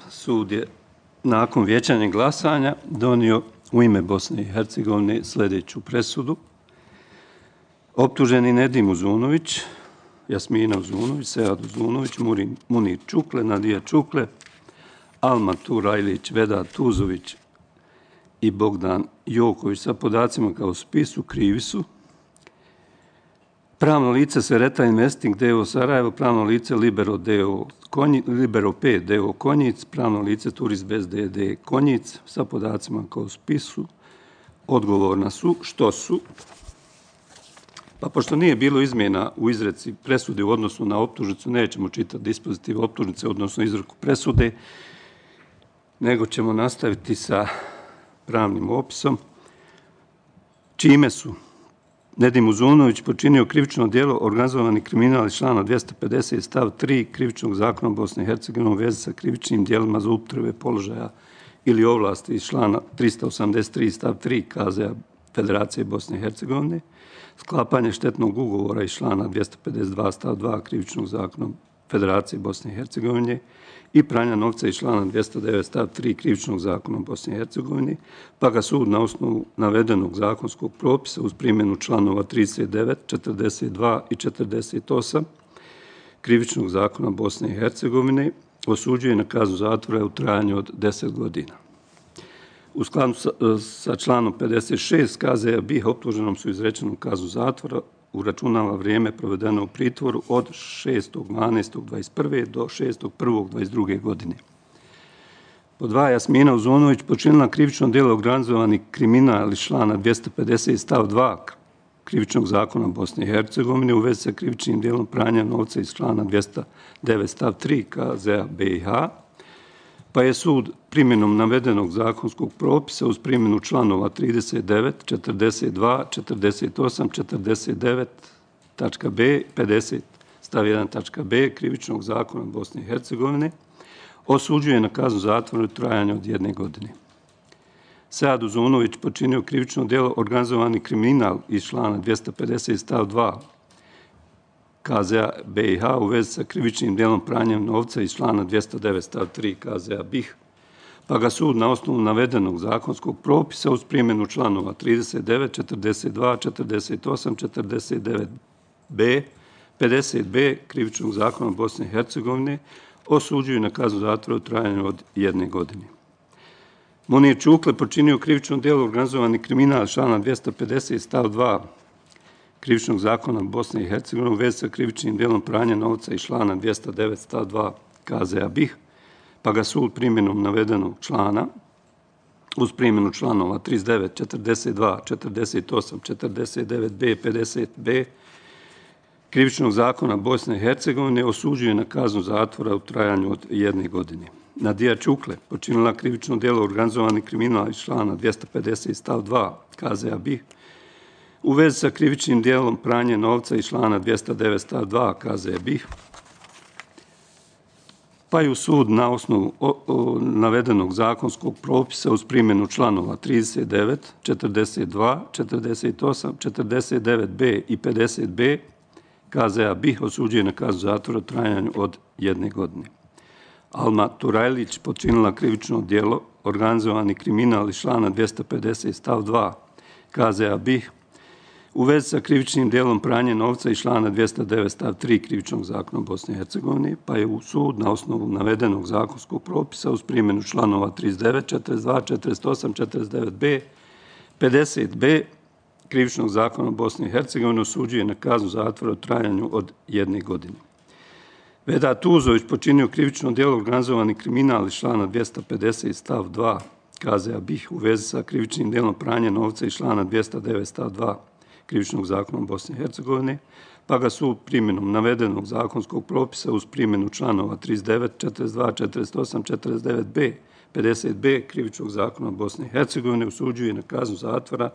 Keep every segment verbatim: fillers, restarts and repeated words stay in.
sud je nakon vijećanja glasanja donio u ime Bosne i Hercegovine sljedeću presudu. Optuženi Nedim Uzunović, Jasmina Uzunović, Sead Uzunović, Munir Čukle, Nadija Čukle, Alma Turajlić, Vedat Tuzović i Bogdan Joković sa podacima kao spisu krivi su pravno lice Sereta Investing D O Sarajevo, pravno lice Libero D O Konjic, Libero P D O Konjic, pravno lice Turizbest D D Konjic sa podacima kao spisu. Odgovorna su što su, pa pošto nije bilo izmjena u izreci presude u odnosu na optužnicu, nećemo čitati dispozitiv optužnice, odnosno izreku presude, nego ćemo nastaviti sa pravnim opisom, čime su Nedim Uzunović počinio krivično djelo organizovani kriminal iz člana dvjesto pedeset stav tri Krivičnog zakona Bosne i Hercegovine u vezi sa krivičnim djelima za upotrebe položaja ili ovlasti iz člana tristo osamdeset tri stav tri K Z a Federacije Bosne i Hercegovine, sklapanje štetnog ugovora iz člana dvjesto pedeset dva stav dva Krivičnog zakona Federacije Bosne i Hercegovine i pranja novca iz člana dvjesto devet stav tri Krivičnog zakona Bosne i Hercegovine, pa ga sud na osnovu navedenog zakonskog propisa uz primjenu članova trideset devet, četrdeset dva i četrdeset osam Krivičnog zakona Bosne i Hercegovine osuđuje na kaznu zatvora u trajanju od deset godina. U skladu sa, sa članom pedeset šest K Z a B I H optuženom su izrečenu kaznu zatvora uračunava vrijeme provedeno u pritvoru od šestog dvanaestog dvadeset prve do šestog prvog dvadeset druge godine. Pod dva, Jasmina Uzunović počinila krivično djelo organizovani kriminal iz člana dvjesto pedeset stav dva Krivičnog zakona Bosne i Hercegovine u vezi sa krivičnim djelom pranja novca iz člana dvjesto devet stav tri K Z a B I H, pa je sud primjenom navedenog zakonskog propisa uz primjenu članova trideset devet, četrdeset dva, četrdeset osam, četrdeset devet tačka B, pedeset stav jedan tačka B Krivičnog zakona Bosne i Hercegovine osuđuje na kaznu zatvora u trajanju od jedne godine. Sead Uzunović počinio krivično djelo organizovani kriminal iz člana dvjesto pedeset stav dva K Z a B I H u vezi sa krivičnim djelom pranjem novca iz člana dvjesto devet stav tri K Z a B I H, pa ga sud na osnovu navedenog zakonskog propisa uz primjenu članova trideset devet, četrdeset dva, četrdeset osam, četrdeset devet B, pedeset B Krivičnog zakona Bosne i Hercegovine osuđuju na kaznu zatvora u trajanju od jedne godine. Munir Čukle počinio krivično djelo organizovani kriminal člana dvjesto pedeset stav dva Krivičnog zakona Bosne i Hercegovine u vezi sa krivičnim djelom pranja novca iz člana dvjesto devet stav dva K Z a B I H, pa ga sud primjenom navedenog člana uz primjenu članova trideset devet, četrdeset dva, četrdeset osam, četrdeset devet B, pedeset B Krivičnog zakona Bosne i Hercegovine osuđuje na kaznu zatvora u trajanju od jedne godine. Nadija Čukle počinila krivično djelo organizovani kriminal iz člana dvjesto pedeset stav dva K Z a B I H u vezi sa krivičnim djelom pranje novca iz člana dvjesto devet stav dva K Z a B I H, pa je u sud na osnovu o, o, navedenog zakonskog propisa uz primjenu članova trideset devet, četrdeset dva, četrdeset osam, četrdeset devet B i pedeset B K Z a B I H osuđuje na kaznu zatvora u trajanju od jedne godine. Alma Turajlić počinila krivično djelo organizovani kriminal iz člana dvjesto pedeset stav dva K Z a B I H u vezi sa krivičnim djelom pranje novca iz člana dvjesto devet stav tri Krivičnog zakona Bosne i Hercegovine, pa je u sud na osnovu navedenog zakonskog propisa uz primjenu članova trideset devet, četrdeset dva, četrdeset osam, četrdeset devet B, pedeset B Krivičnog zakona Bosne i Hercegovine osuđuje na kaznu zatvora u trajanju od jedne godine. Vedat Tuzović počinio krivično djelo organizovani kriminal iz člana dvjesto pedeset stav dva K Z a B I H u vezi sa krivičnim djelom pranje novca iz člana dvjesto devet stav dva Krivičnog zakona Bosne i Hercegovine, pa ga sud primjenom navedenog zakonskog propisa uz primjenu članova trideset devet, četrdeset dva, četrdeset osam, četrdeset devet B, pedeset B Krivičnog zakona Bosne i Hercegovine osuđuje na kaznu zatvora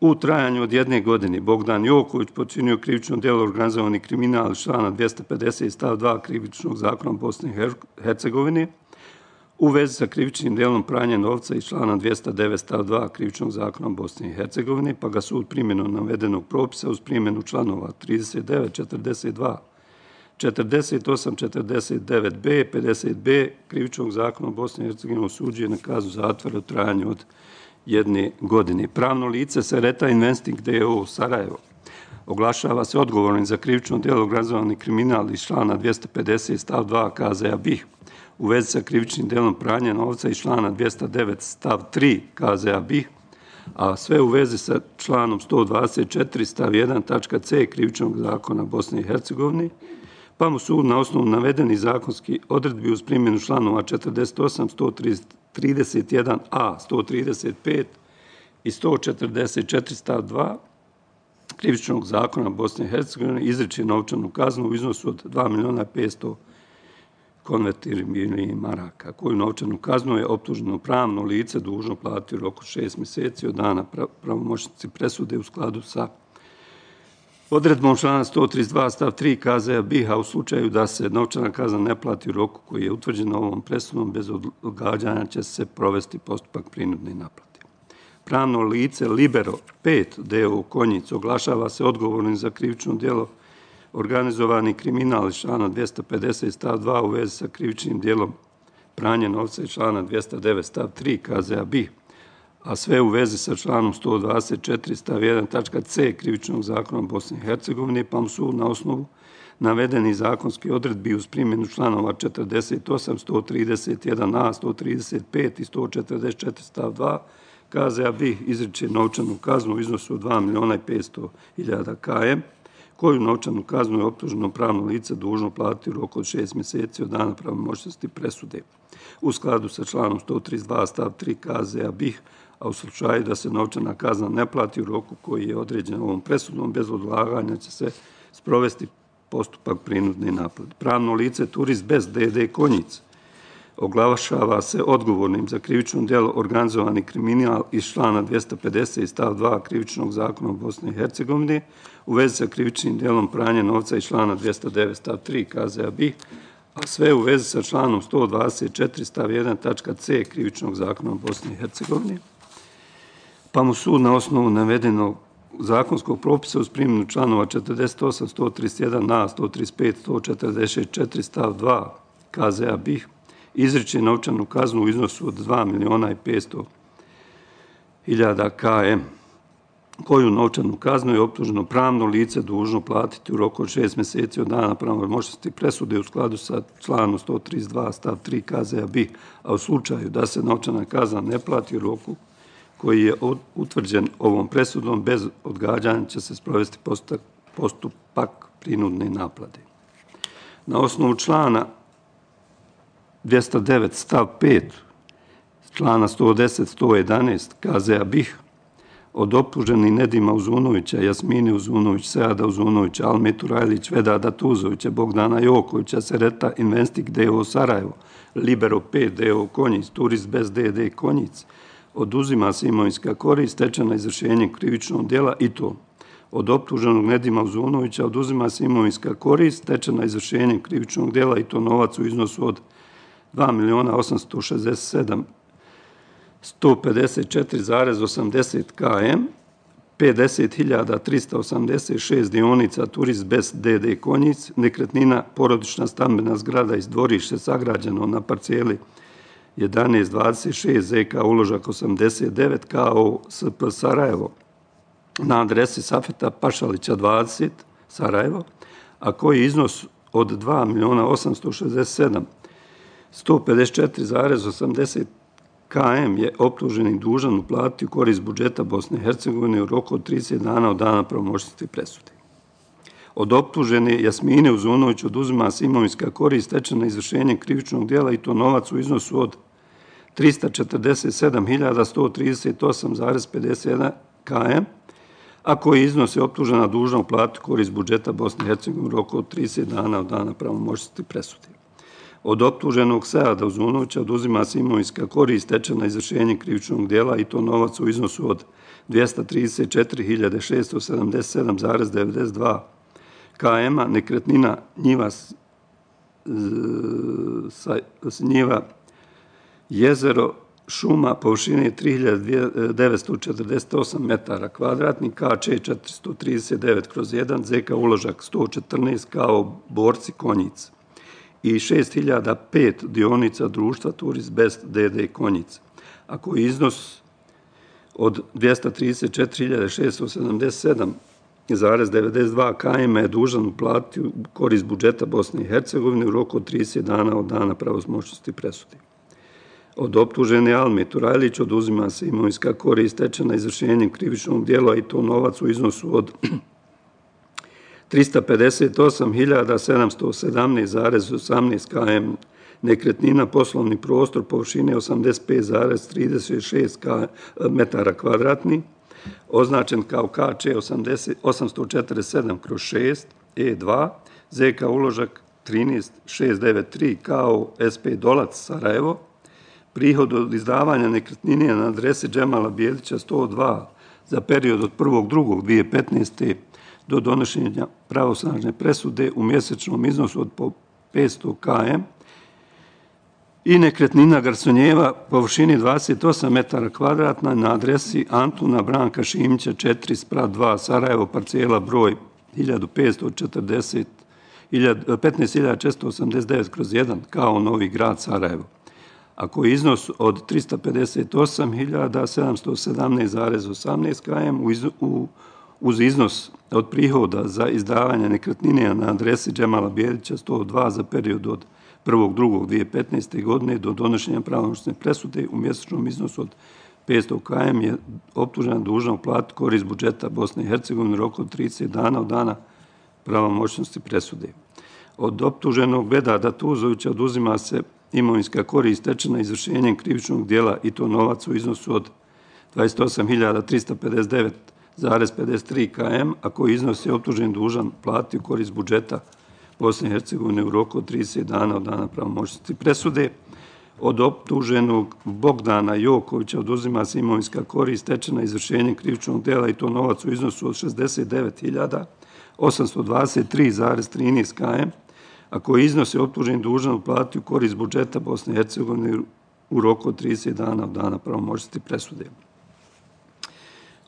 u trajanju od jedne godine. Bogdan Joković počinio krivično djelo organizovani kriminal iz člana dvjesto pedeset stav dva Krivičnog zakona Bosne i Hercegovine u vezi sa krivičnim djelom pranja novca iz člana dvjesto devet stav dva Krivičnog zakona Bosne i Hercegovine, pa ga sud primjenom navedenog propisa uz primjenu članova trideset devet, četrdeset dva, četrdeset osam četrdeset devet b, pedeset b Krivičnog zakona Bosne i Hercegovine osuđuje na kaznu zatvora u trajanju od jedne godine. Pravno lice Sereta Investing d o o Sarajevo oglašava se odgovornim za krivično djelo organizovani kriminal iz člana dvjesto pedeset stav dva K Z a B I H u vezi sa krivičnim djelom pranja novca iz člana dvjesto devet stav tri K Z a B I H, a sve u vezi sa članom sto dvadeset četiri stav jedan tačka c Krivičnog zakona Bosne i Hercegovine, pa mu sud na osnovu navedenih zakonskih odredbi uz primjenu članova četrdeset osam, sto trideset jedan a, sto trideset pet i sto četrdeset četiri stav dva Krivičnog zakona Bosne i Hercegovine izriče novčanu kaznu u iznosu od dva miliona petsto konvertibilnih maraka, koju novčanu kaznu je optuženo pravno lice dužno platiti u roku šest mjeseci od dana pravomoćnosti presude u skladu sa odredbom člana sto trideset dva stav tri K Z a B I H, a u slučaju da se novčana kazna ne plati u roku koji je utvrđen ovom presudom, bez odgađanja će se provesti postupak prinudne naplate. Pravno lice Libero pet d o o Konjic oglašava se odgovornim za krivično djelo organizovani kriminal iz člana dvjesto pedeset stav dva u vezi sa krivičnim djelom pranje novca iz člana dvjesto devet stav tri K Z a B I H, a sve u vezi sa članom sto dvadeset četiri stav jedan tačka c Krivičnog zakona Bosne i Hercegovine, pa mu sud na osnovu navedeni zakonski odredbi uz primjenu članova četrdeset osam, sto trideset jedan a, sto trideset pet i sto četrdeset četiri stav dva K Z a B I H izriče novčanu kaznu u iznosu od dva miliona petsto hiljada km, koju novčanu kaznu je optuženo pravno lice dužno platiti u roku od šest mjeseci od dana pravomoćnosti presude u skladu sa članom sto trideset dva stav tri K Z a B I H, a u slučaju da se novčana kazna ne plati u roku koji je određen ovom presudom, bez odlaganja će se sprovesti postupak prinudne naplate. Pravno lice Turist bez d d Konjic oglašava se odgovornim za krivično djelo organizovani kriminal iz člana dvjesto pedeset stav dva Krivičnog zakona Bosne i Hercegovine u vezi sa krivičnim djelom pranja novca iz člana dvjesto devet stav tri K Z a B I H, a sve u vezi sa članom sto dvadeset četiri stav jedan tačka c Krivičnog zakona Bosne i Hercegovine, pa mu sud na osnovu navedenog zakonskog propisa uz primjenu članova četrdeset osam, sto trideset jedan a, sto trideset pet, sto četrdeset četiri stav dva K Z a B I H izriče novčanu kaznu u iznosu od dva miliona petsto hiljada km, koju novčanu kaznu je optuženo pravno lice dužno platiti u roku od šest mjeseci od dana pravomoćnosti presude u skladu sa članom sto trideset dva stav tri K Z a B I H, a u slučaju da se novčana kazna ne plati u roku koji je utvrđen ovom presudom, bez odgađanja će se sprovesti postupak prinudne naplate. Na osnovu člana dvjesto devet stav pet, člana sto deset, sto jedanaest K Z a B I H od optuženih Nedima Uzunovića, Jasmine Uzunović, Seada Uzunovića, Almetu Rajlić, Vedada Tuzovića, Bogdana Jokovića, Sereta Investing d o o Sarajevo, Libero pet d o o Konjic, Turist bez d d Konjic, oduzima se imovinska korist stečena izvršenjem krivičnog djela i to od optuženog Nedima Uzunovića oduzima se imovinska korist stečena izvršenjem krivičnog djela i to novac u iznosu od dva miliona osamsto šezdeset sedam hiljada sto pedeset četiri zarez osamdeset km, pedeset hiljada trista osamdeset šest dionica Turist bez d d Konjic, nekretnina porodična stambena zgrada iz dvorište sagrađeno na parceli jedanaest dvadeset šest Z K uložak osamdeset devet K O S P Sarajevo na adresi Safeta Pašalića dvadeset Sarajevo, a koji iznos od dva miliona osamsto šezdeset sedam hiljada sto pedeset četiri zarez osamdeset km je optuženi dužan uplatiti u korist budžeta Bosne i Hercegovine u roku od trideset dana od dana pravomoćnosti presude. Od optužene Jasmine Uzunović oduzima se imovinska korist stečena izvršenjem krivičnog djela i to novac u iznosu od trista četrdeset sedam hiljada sto trideset osam zarez pedeset jedan km, a koji iznos je optužena dužna uplatiti u korist budžeta Bosne i Hercegovine u roku od trideset dana od dana pravomoćnosti presude. Od optuženog Seada Uzunovića oduzima se imovinska korist stečena izvršenjem krivičnog djela i to novac u iznosu od dvjesto trideset četiri hiljade šesto sedamdeset sedam zarez devedeset dva km, nekretnina njiva, njiva Jezero šuma površine tri hiljade devetsto četrdeset osam metara kvadratnih, K Č četiristo trideset devet kroz jedan, Z K uložak sto četrnaest kao Borci Konjic i šest hiljada pet dionica društva Turist Best D D Konjic. Ako je iznos od dvjesto trideset četiri hiljade šesto sedamdeset sedam zarez devedeset dva km je dužan uplatiti u korist budžeta Bosne i Hercegovine u roku od trideset dana od dana pravomoćnosti presude. Od optužene Alme Turajlić oduzima se imovinska korist stečena izvršenjem krivičnog djela i to novac u iznosu od trista pedeset osam hiljada sedamsto sedamnaest zarez osamnaest km nekretnina, poslovni prostor površine osamdeset pet zarez trideset šest metara kvadratnih, označen kao K Č osamsto četrdeset sedam kroz šest, E dva, Z K uložak trinaest šest devet tri kao S P Dolac Sarajevo, prihod od izdavanja nekretnine na adresi Džemala Bijelića sto dva za period od prvog drugog dvije hiljade petnaeste. do donošenja pravosnažne presude u mjesečnom iznosu od po petsto km i nekretnina Garsonjeva površini dvadeset osam metara kvadratna na adresi Antuna Branka Šimića četiri sprat dva Sarajevo, parcela broj petnaest hiljada četiristo osamdeset devet kroz jedan kao Novi Grad Sarajevo. Ako je iznos od trista pedeset osam hiljada sedamsto sedamnaest zarez osamnaest km u uz iznos od prihoda za izdavanje nekretnine na adresi Džemala Bijelića sto dva za period od prvog drugog dvije hiljade petnaeste. godine do donošenja pravomoćne presude u mjesečnom iznosu od petsto km je optužena dužna uplatiti korist budžeta Bosne i Hercegovine u roku od trideset dana od dana pravomoćnosti presude. Od optuženog Vedada Tuzovića oduzima se imovinska korist stečena izvršenjem krivičnog djela i to novac u iznosu od dvadeset osam hiljada trista pedeset devet zarez pedeset tri km, a koji iznos je optužen dužan platiti u korist budžeta Bosne i Hercegovine u roku od trideset dana od dana pravomoćnosti presude. Od optuženog Bogdana Jokovića oduzima se imovinska korist stečena izvršenjem krivičnog djela i to novac u iznosu od šezdeset devet hiljada osamsto dvadeset tri zarez trinaest km, a koji iznos je optužen dužan uplatiti u korist budžeta Bosne i Hercegovine u roku od trideset dana od dana pravomoćnosti presude.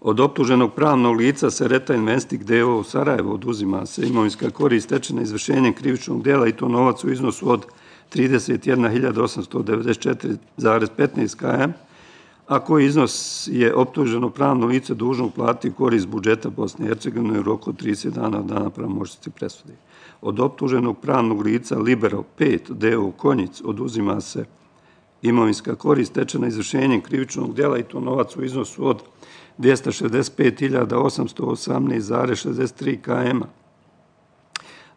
Od optuženog pravnog lica Sereta Investing D O o Sarajevo oduzima se imovinska korist stečena izvršenjem krivičnog djela i to novac u iznosu od trideset jedna hiljada osamsto devedeset četiri zarez petnaest km, a koji iznos je optuženo pravno lice dužno uplatiti u korist budžeta Bosne i Hercegovine u roku od trideset dana od dana pravomoćnosti presude. Od optuženog pravnog lica Libero pet D O Konjic oduzima se imovinska korist stečena izvršenjem krivičnog djela i to novac u iznosu od dvjesto šezdeset pet hiljada osamsto osamnaest zarez šezdeset tri km,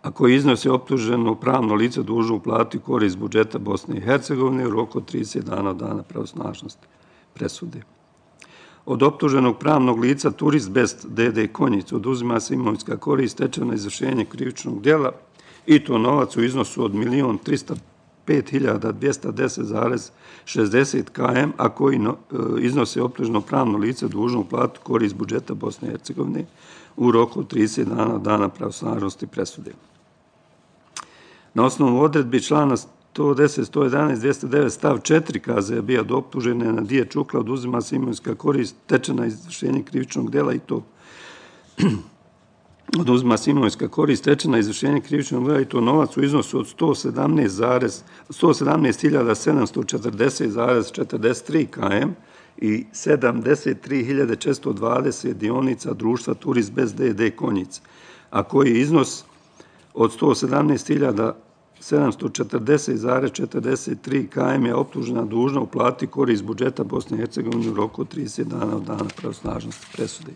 a koji iznos je optuženo pravno lice dužno uplatiti korist budžeta Bosne i Hercegovine u roku od trideset dana od dana pravosnažnosti presude. Od optuženog pravnog lica Turist Best D D Konjic oduzima se imovinska korist stečena izvršenjem krivičnog djela i to novac u iznosu od milion trista pet hiljada dvjesto deset zarez šezdeset km, a koji iznose optuženo pravno lice dužno uplatiti korist budžeta Bosne i Hercegovine u roku od trideset dana od dana pravosnažnosti presude. Na osnovu odredbi člana sto deset, sto jedanaest, dvjesto devet stav četiri K Z B od optužene Nadije Čukla oduzima se imovinska korist stečena izvršenjem krivičnog djela i to oduzima se imovinska korist stečena izvršenjem krivičnog djela i to novac u iznosu od sto sedamnaest hiljada sedamsto četrdeset zarez četrdeset tri km i sedamdeset tri hiljade četiristo dvadeset dionica društva Turist Best D D Konjic, a koji iznos od sto sedamnaest hiljada sedamsto četrdeset zarez četrdeset tri km je optužena dužna uplatiti korist budžeta Bosne i Hercegovine u roku od trideset dana od dana pravosnažnosti presude.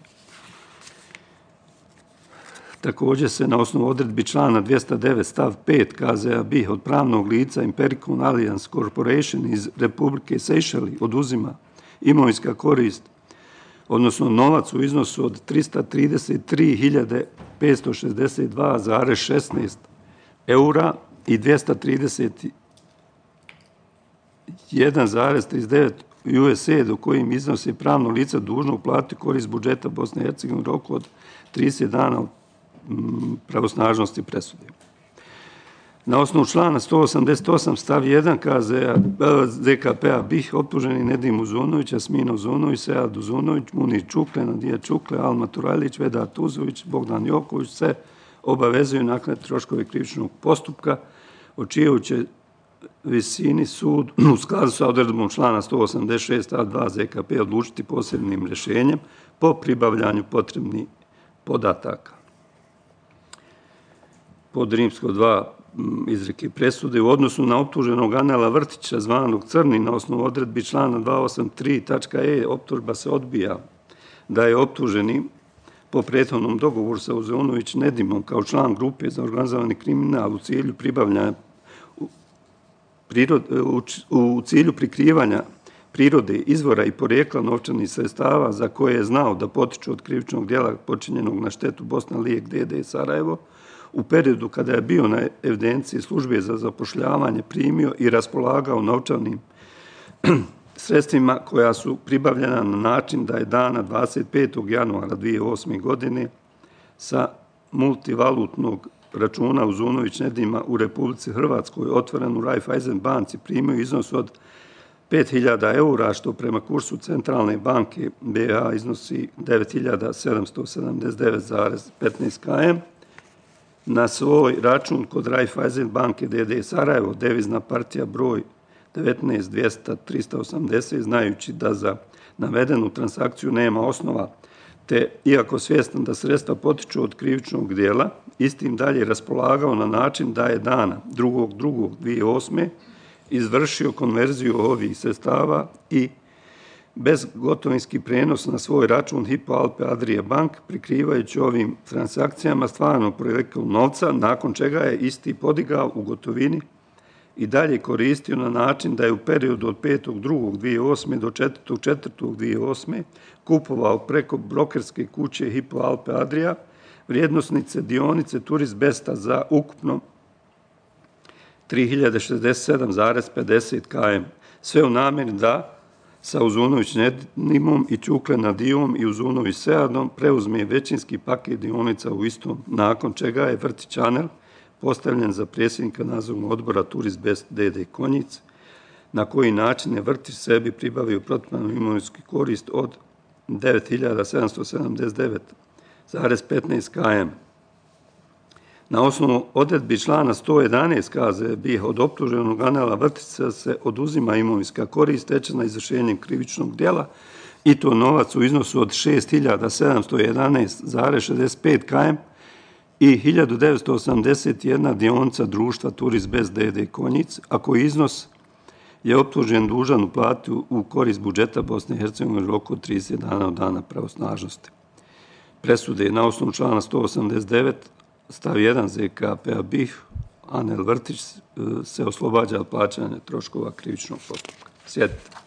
Također se na osnovu odredbi člana dvjesto devet stav pet K Z B od pravnog lica Impericon Alliance Corporation iz Republike Sejšeli oduzima imovinska korist, odnosno novac u iznosu od trista trideset tri hiljade petsto šezdeset dva zarez šesnaest eura i dvjesto trideset jedan zarez trideset devet U S A do kojim iznosi pravno lice dužno uplatiti korist budžeta Bosne i Hercegovine u roku od trideset dana od pravosnažnosti presude. Na osnovu člana sto osamdeset osam stav jedan Z K P-a B I H optuženi Nedim Uzunović, Jasmina Uzunović, Sead Uzunović, Munir Čukle, Nadija Čukle, Alma Turajlić, Vedat Uzović, Bogdan Joković se obavezuju naknaditi troškove krivičnog postupka, o čijoj će visini sud u skladu sa odredbom člana sto osamdeset šest stav dva Z K P odlučiti posebnim rješenjem po pribavljanju potrebnih podataka. Pod rimsko dva izreke presude u odnosu na optuženog Anela Vrtića, zvanog Crni, na osnovu odredbi člana dvesta osamdeset tri tačka e optužba se odbija da je optuženi po prethodnom dogovoru sa Uzunović Nedimom kao član grupe za organizovani kriminal u cilju pribavljanja u cilju prikrivanja prirode, izvora i porijekla novčanih sredstava za koje je znao da potiču od krivičnog djela počinjenog na štetu Bosna Lijek D D Sarajevo, u periodu kada je bio na evidenciji službe za zapošljavanje primio i raspolagao novčanim sredstvima koja su pribavljena na način da je dana dvadeset petog januara dvije hiljade osme. godine sa multivalutnog računa Uzunović Nedima u Republici Hrvatskoj otvoren u Raiffeisen banci primio iznos od pet hiljada eura, što prema kursu Centralne banke B A iznosi devet hiljada sedamsto sedamdeset devet zarez petnaest km, na svoj račun kod Raiffeisen banke D D Sarajevo, devizna partija broj devetnaest dvjesto trista osamdeset, znajući da za navedenu transakciju nema osnova, te, iako svjestan da sredstva potiču od krivičnog dijela, istim dalje raspolagao na način da je dana drugog drugog dvije hiljade osme. izvršio konverziju ovih sredstava i bezgotovinski prenos na svoj račun Hypo Alpe Adria Bank, prikrivajući ovim transakcijama stvarno porijeklo novca, nakon čega je isti podigao u gotovini i dalje koristio na način da je u periodu od petog drugog dvije hiljade osme. do četvrtog četvrtog dvije hiljade osme. kupovao preko brokerske kuće Hypo Alpe Adria vrijednosnice dionice Turist Besta za ukupno tri hiljade šezdeset sedam zarez pedeset km. Sve u namjeri da sa Uzunović Nedimom i Čukle Nadijom i Uzunović Seadom preuzme većinski paket dionica u istom, nakon čega je Vrtić Anel postavljen za predsjednika nadzornog odbora Turist Best D D Konjic, na koji način je Vrtić sebi pribavio protivpravnu imovinsku korist od devet hiljada sedamsto sedamdeset devet zarez petnaest km. Na osnovu odredbi člana sto jedanaest K Z B I H od optuženog Anela Vrtića se oduzima imovinska korist stečena izvršenjem krivičnog djela i to novac u iznosu od šest hiljada sedamsto jedanaest zarez šezdeset pet km i hiljadu devetsto osamdeset jedna dionica društva Turist Best D D Konjic, a koji iznos je optužen dužan uplatiti u korist budžeta Bosne i Hercegovine u roku od trideset dana od dana pravosnažnosti. Presude na osnovu člana sto osamdeset devet stav jedan Z K P-a B I H, Anel Vrtić se oslobađa od plaćanja troškova krivičnog postupka. Sjedite.